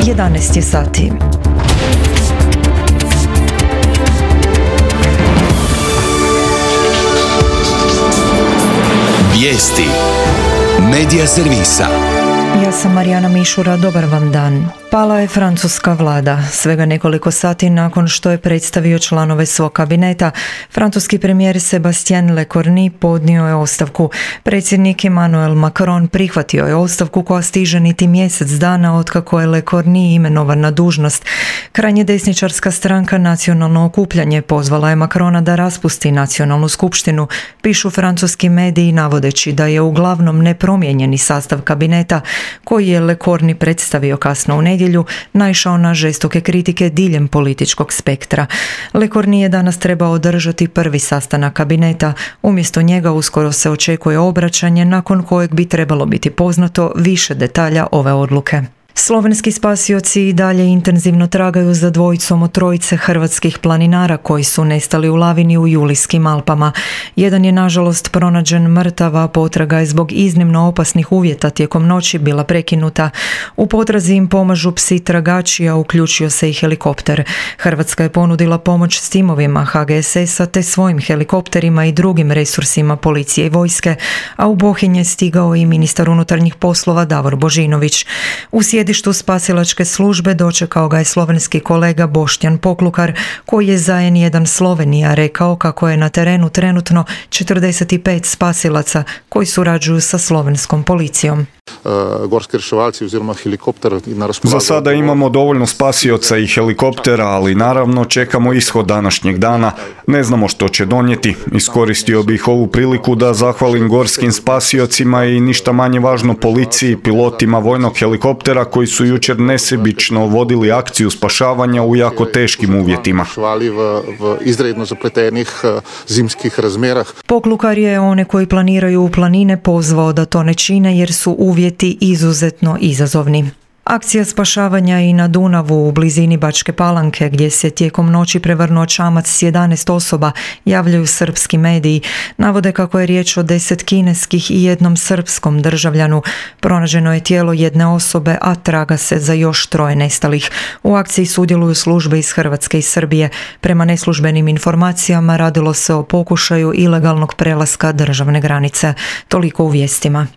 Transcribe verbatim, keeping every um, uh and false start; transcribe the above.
jedanaest je sati. Vijesti Medija servisa. Ja sam Marijana Mišura, dobar vam dan. Pala je francuska vlada. Svega nekoliko sati nakon što je predstavio članove svog kabineta, francuski premijer Sébastien Lecornu podnio je ostavku. Predsjednik Emmanuel Macron prihvatio je ostavku koja stiže niti mjesec dana otkako je Lecornu imenovan na dužnost. Krajnje desničarska stranka Nacionalno okupljanje pozvala je Macrona da raspusti nacionalnu skupštinu, pišu francuski mediji navodeći da je uglavnom nepromijenjeni sastav kabineta koji je Lecornu predstavio kasno u nedjelju naišao na žestoke kritike diljem političkog spektra. Lecornu je danas trebao održati prvi sastanak kabineta, umjesto njega uskoro se očekuje obraćanje nakon kojeg bi trebalo biti poznato više detalja ove odluke. Slovenski spasioci i dalje intenzivno tragaju za dvojicom od trojice hrvatskih planinara koji su nestali u lavini u Julijskim Alpama. Jedan je nažalost pronađen mrtav, a potraga je zbog iznimno opasnih uvjeta tijekom noći bila prekinuta. U potrazi im pomažu psi tragači, a uključio se i helikopter. Hrvatska je ponudila pomoć s timovima H G S S-a te svojim helikopterima i drugim resursima policije i vojske, a u Bohinj je stigao i ministar unutarnjih poslova Davor Božinović. U sjedištu spasilačke službe dočekao ga je slovenski kolega Boštjan Poklukar, koji je za N jedan Slovenija rekao kako je na terenu trenutno četrdeset pet spasilaca koji surađuju sa slovenskom policijom. Gorski reševalci oziroma helikopter na raspolaganju. Za sada imamo dovoljno spasioca i helikoptera, ali naravno čekamo ishod današnjeg dana. Ne znamo što će donijeti. Iskoristio bih ovu priliku da zahvalim gorskim spasiocima i ništa manje važno policiji, pilotima vojnog helikoptera koji su jučer nesebično vodili akciju spašavanja u jako teškim uvjetima. V, v izredno zapletenih zimskih razmerah. Poklukar je one koji planiraju u planine pozvao da to ne čine jer su uvjeti izuzetno izazovni. Akcija spašavanja i na Dunavu u blizini Bačke Palanke, gdje se tijekom noći prevrnuo čamac s jedanaest osoba, javljaju srpski mediji. Navode kako je riječ o deset kineskih i jednom srpskom državljanu. Pronađeno je tijelo jedne osobe, a traga se za još troje nestalih. U akciji sudjeluju službe iz Hrvatske i Srbije. Prema neslužbenim informacijama radilo se o pokušaju ilegalnog prelaska državne granice. Toliko u vijestima.